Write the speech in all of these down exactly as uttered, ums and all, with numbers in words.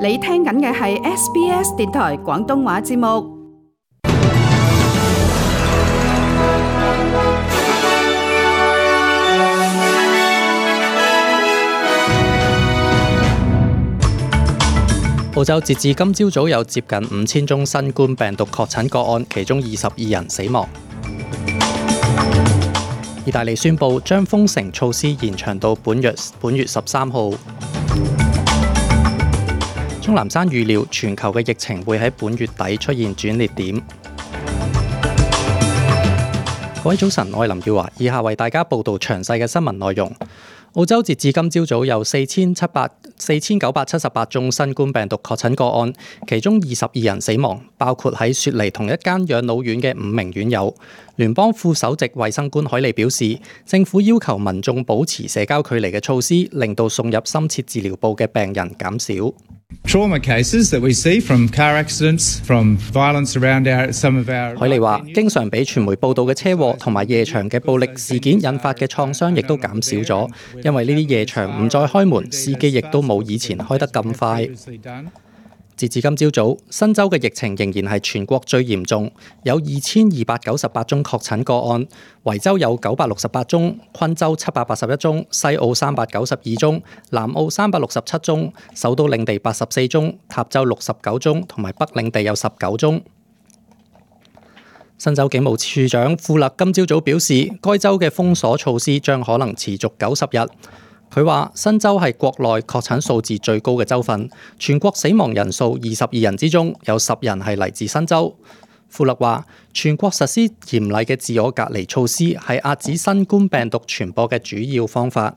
你聽緊嘅係 S B S 電台廣東話節目。澳洲截至今朝早有接近五千宗新冠病毒確診個案，其中二十二人死亡。意大利宣布將封城措施延長到本月本月十三號。鍾南山預料全球嘅疫情會喺本月底出現轉捩點。各位早晨，我係林耀華，以下為大家報道詳細嘅新聞內容。澳洲截至今朝早有四千七百四千九百七十八宗新冠病毒確診個案，其中二十二人死亡，包括喺雪梨同一間養老院嘅五名院友。聯邦副首席衛生官海利表示，政府要求民眾保持社交距離嘅措施，令到送入深切治療部嘅病人減少。Trauma cases that we see from car accidents, from violence around our, some of our... 海利話，經常俾傳媒報道嘅車禍同埋夜場嘅暴力事件引發嘅創傷亦都減少咗，因為呢啲夜場唔再開門，司機亦都冇以前開得咁快。截至今朝早，新州嘅疫情仍然係全國最嚴重，有二千二百九十八宗確診個案，維州有九百六十八宗，昆州七百八十一宗，西澳三百九十二宗，南澳三百六十七宗，首都領地八十四宗，塔州六十九宗，同埋北領地有十九宗。新州警務處長富勒今朝早表示，該州嘅封鎖措施將可能持續九十日。佢話：新州係國內確診數字最高嘅州份，全國死亡人數二十二人之中有十人係嚟自新州。富勒話：全國實施嚴厲嘅自我隔離措施係壓止新冠病毒傳播嘅主要方法。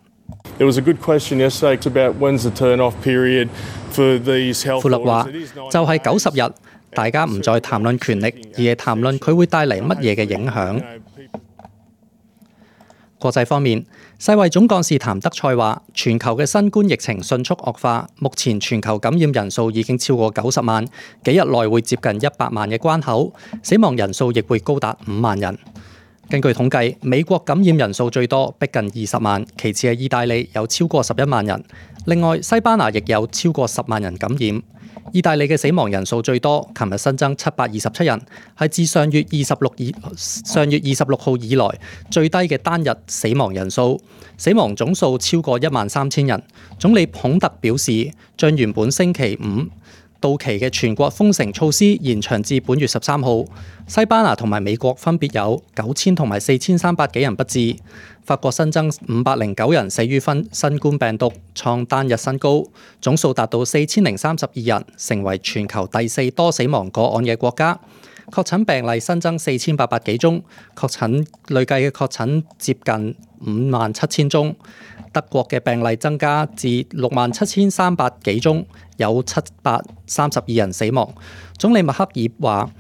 There was a good question yesterday about when's the turn-off period for these health. 富勒話：就係九十日，大家唔再談論權力，而係談論佢會帶嚟乜嘢嘅影響。國際方面，世衛總幹事譚德塞話，全球嘅新冠疫情迅速惡化，目前全球感染人數已經超過九十萬，幾日內會接近一百萬嘅關口，死亡人數亦會高達五萬人。根據統計，美國感染人數最多，逼近二十萬，其次係意大利有超過十一萬人，另外西班牙亦有超過十萬人感染。意大利嘅死亡人數最多，琴日新增七百二十七人，係自上月二十六以上月二十六號以來最低嘅單日死亡人數，死亡總數超過一萬三千人。總理孔特表示，將原本星期五到期嘅全國封城措施延長至本月十三號。西班牙同埋美國分別有九千同埋四千三百幾人不治。法國新增五百零九人死於新冠病毒，創單日新高，總數達到四千零三十二人，成為全球第四多死亡個案嘅國家。確診病例新增四千八百幾宗，確診累計嘅確診接近五萬七千宗。德國嘅病例增加至六萬七千三百幾宗，有七百三十二人死亡。總理默克爾話，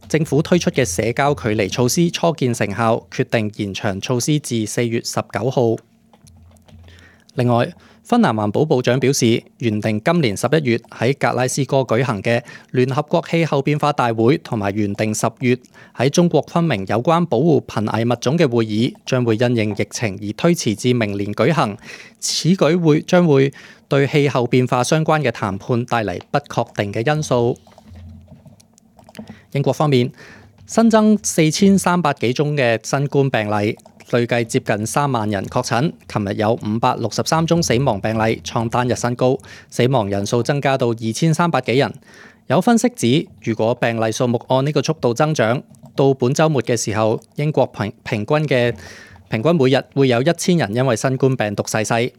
政府推出嘅社交距離措施初見成效，決定延長措施至四月十九號。另外，芬蘭環保部長表示，原定今年十一月喺格拉斯哥舉行嘅聯合國氣候變化大會，同埋原定十月喺中國昆明有關保護瀕危物種嘅會議，將會因應疫情而推遲至明年舉行。此舉會將會對氣候變化相關嘅談判帶嚟不確定嘅因素。英國方面，新增四千三百幾宗嘅新冠病例，累計接近三萬人確診。琴日有五百六十三宗死亡病例，創單日新高，死亡人數增加到二千三百幾人。有分析指，如果病例數目按呢個速度增長，到本週末嘅時候，英國平平均嘅平均每日會有一千人因為新冠病毒逝世。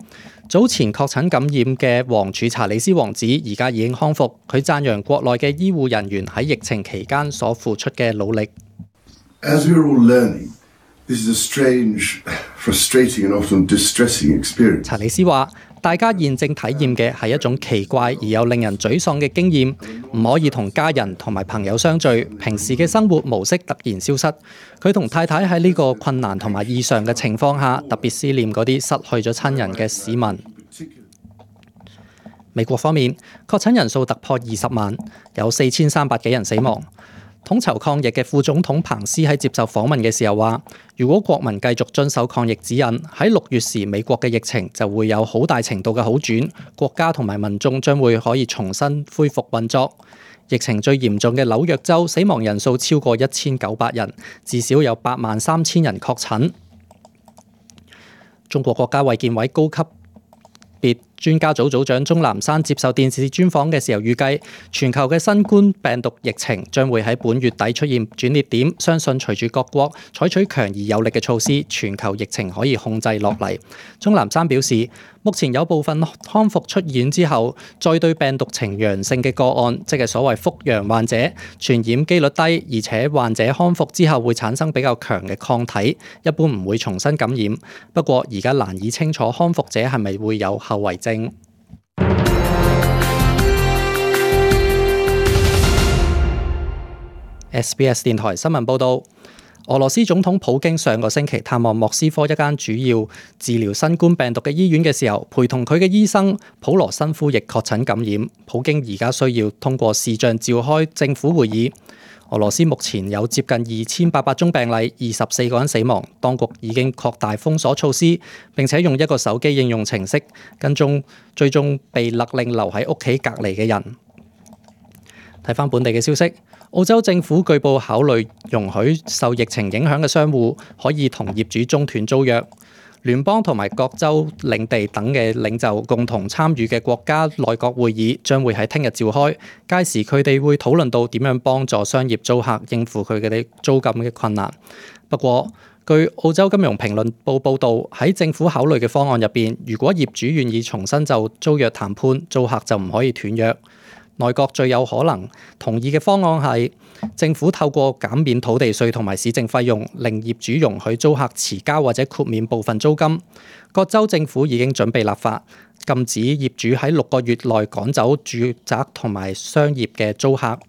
早前確診感染嘅王儲查理斯王子而家已經康復，佢讚揚國內嘅醫護人員喺疫情期間所付出嘅努力。As we are all learning, this is a strange, frustrating and often distressing experience. 查理斯話：大家現正體驗嘅係一種奇怪而又令人沮喪嘅經驗，唔可以同家人同埋朋友相聚，平時嘅生活模式突然消失。佢同太太喺呢個困難同埋異常嘅情況下，特別思念嗰啲失去咗親人嘅市民。美國方面，確診人數突破二十萬，有四千三百幾人死亡。統籌抗疫嘅副總統彭斯喺接受訪問嘅時候話，如果國民繼續遵守抗疫指引，喺六月時美國嘅疫情就會有好大程度嘅好轉，國家同埋民眾將會可以重新恢復運作。疫情最嚴重嘅紐約州死亡人數超過一千九百人，至少有八萬三千人確診。中國國家衛健委高級別專家組組長鍾南山接受電視專訪嘅時候預計，全球嘅新冠病毒疫情將會喺本月底出現轉捩點，相信隨住各國採取強而有力嘅措施，全球疫情可以控制落嚟。鍾南山表示，目前有部分康復出院之後，再對病毒呈陽性嘅個案，即係所謂復陽患者，傳染機率低，而且患者康復之後會產生比較強嘅抗體，一般唔會重新感染。不過而家難以清楚康復者係咪會有後遺症。S B S 電台新聞報道，俄羅斯總統普京上個星期探望莫斯科一間主要治療新冠病毒嘅醫院嘅時候，陪同佢嘅醫生普羅申夫亦確診感染。普京而家需要通過視像召開政府會議。俄羅斯目前有接近二千八百宗病例，二十四個人死亡。當局已經擴大封鎖措施，並且用一個手機應用程式跟蹤追蹤被勒令留喺屋企隔離嘅人。睇返本地嘅消息，澳洲政府據報考慮容許受疫情影響嘅商戶可以同業主中斷租約。聯邦同埋各州領地等嘅領袖共同參與嘅國家內閣會議將會喺聽日召開，屆時佢哋會討論到點樣幫助商業租客應付佢哋租金嘅困難。不過，據澳洲金融評論報報導，喺政府考慮嘅方案入邊，如果業主願意重新就租約談判，租客就唔可以斷約。內閣最有可能同意嘅方案係政府透過減免土地稅同埋市政費用，令業主容許租客遲交或者豁免部分租金。各州政府已經準備立法，禁止業主喺六個月內趕走住宅同埋商業嘅租客。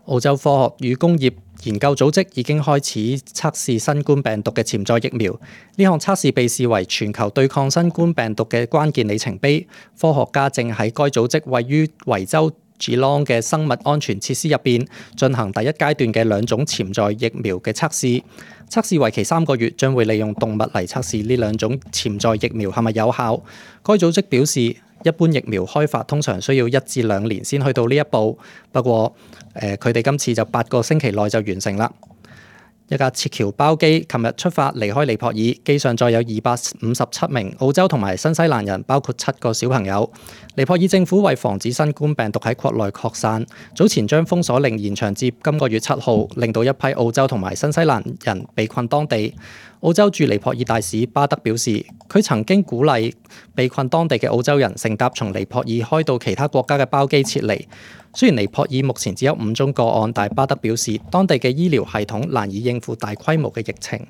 澳洲科學與工業研究組織已經開始測試新冠病毒嘅潛在疫苗，呢項測試被視為全球對抗新冠病毒嘅關鍵里程碑。科學家正喺該組織位於維州 Geelong 嘅生物安全設施入邊進行第一階段嘅兩種潛在疫苗嘅測試。測試為期三個月，將會利用動物嚟測試呢兩種潛在疫苗係咪有效。該組織表示，一般疫苗開發通常需要一至兩年先去到呢一步，不過誒佢哋今次就八個星期內就完成啦。一架撤僑包機琴日出發離開尼泊爾，機上載有二百五十七名澳洲同埋新西蘭人，包括七個小朋友。尼泊爾政府為防止新冠病毒喺國內擴散，早前將封鎖令延長至今個月七號，令到一批澳洲同埋新西蘭人被困當地。澳洲駐尼泊爾大使巴德表示，佢曾經鼓勵被困當地嘅澳洲人乘搭從尼泊爾開到其他國家嘅包機撤離。雖然尼泊爾目前只有五宗個案，但巴德表示，當地嘅醫療系統難以應付大規模嘅疫情。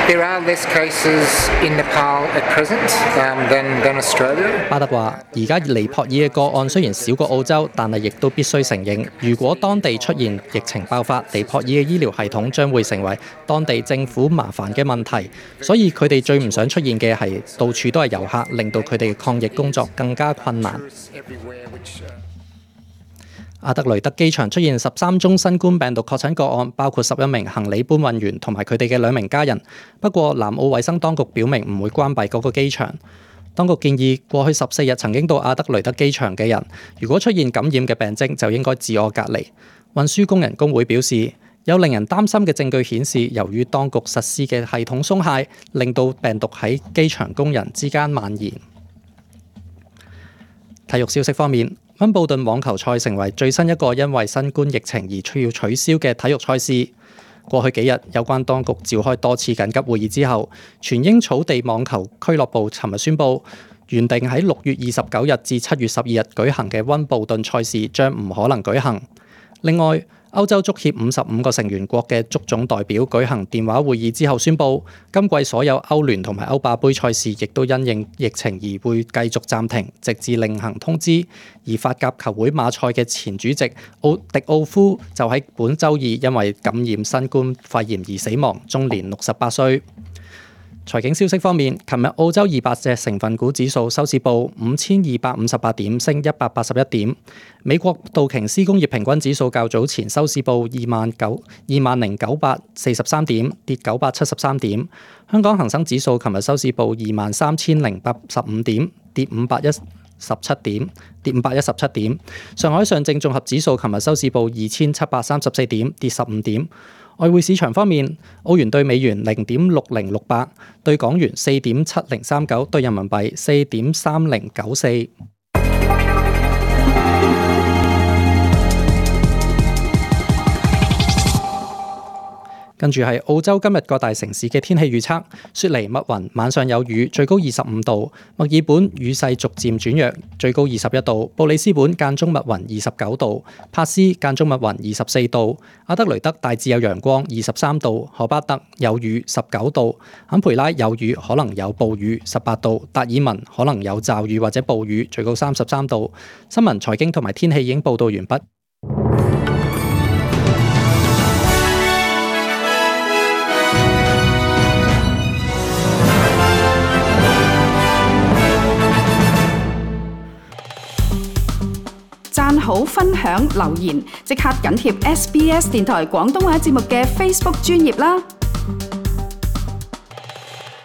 There are less cases in Nepal at present than than Australia. 巴德話：而家尼泊爾嘅個案雖然少過澳洲，但係亦都必須承認，如果當地出現疫情爆發，尼泊爾嘅醫療系統將會成為當地政府麻煩嘅問題。所以佢哋最唔想出現嘅係到處都係遊客，令到佢哋嘅抗疫工作更加困難。阿德雷德機場出現十三宗新冠病毒確診個案，包括十一名行李搬運員同埋佢哋嘅兩名家人。不過，南澳衛生當局表明唔會關閉嗰個機場。當局建議過去十四日曾經到阿德雷德機場嘅人，如果出現感染嘅病徵，就應該自我隔離。運輸工人工會表示，有令人擔心嘅證據顯示，由於當局實施嘅系統鬆懈，令到病毒喺機場工人之間蔓延。體育消息方面，溫布頓網球賽成為最新一個因為新冠疫情而需要取消嘅體育賽事。過去幾日，有關當局召開多次緊急會議之後，全英草地網球俱樂部尋日宣布，原定喺六月二十九日至七月十二日舉行嘅溫布頓賽事將唔可能舉行。另外，歐洲足協五十五個成員國嘅足總代表舉行電話會議之後宣布，今季所有歐聯同埋歐霸杯賽事亦都因應疫情而會繼續暫停，直至另行通知。而法甲球會馬賽嘅前主席奧迪奧夫就喺本週二因為感染新冠肺炎而死亡，終年六十八歲。財經消息方面，琴日澳洲二百隻成分股指數收市報五千二百五十八點，升一百八十一點。美國道瓊斯工業平均指數較早前收市報二萬九二萬零九百四十三點，跌九百七十三點。香港恒生指數琴日收市報二萬三千零八十五點，跌五百一十七點，跌五百一十七點。上海上證綜合指數琴日收市報二千七百三十四點，跌十五點。外匯市場方面，澳元對美元零點六零六八，對港元四點七零三九，對人民幣四點三零九四。跟住係澳洲今日各大城市嘅天氣預測：雪梨密雲，晚上有雨，最高二十五度；墨爾本雨勢逐漸轉弱，最高二十一度；布里斯本間中密雲，二十九度；帕斯間中密雲，二十四度；阿德雷德大致有陽光，二十三度；荷巴特有雨，十九度；坎培拉有雨，可能有暴雨，十八度；達爾文可能有驟雨或者暴雨，最高三十三度。新聞、財經同埋天氣已經報道完畢。讚好、分享、留言，即刻緊貼 S B S 電台廣東話節目嘅 Facebook 專頁啦！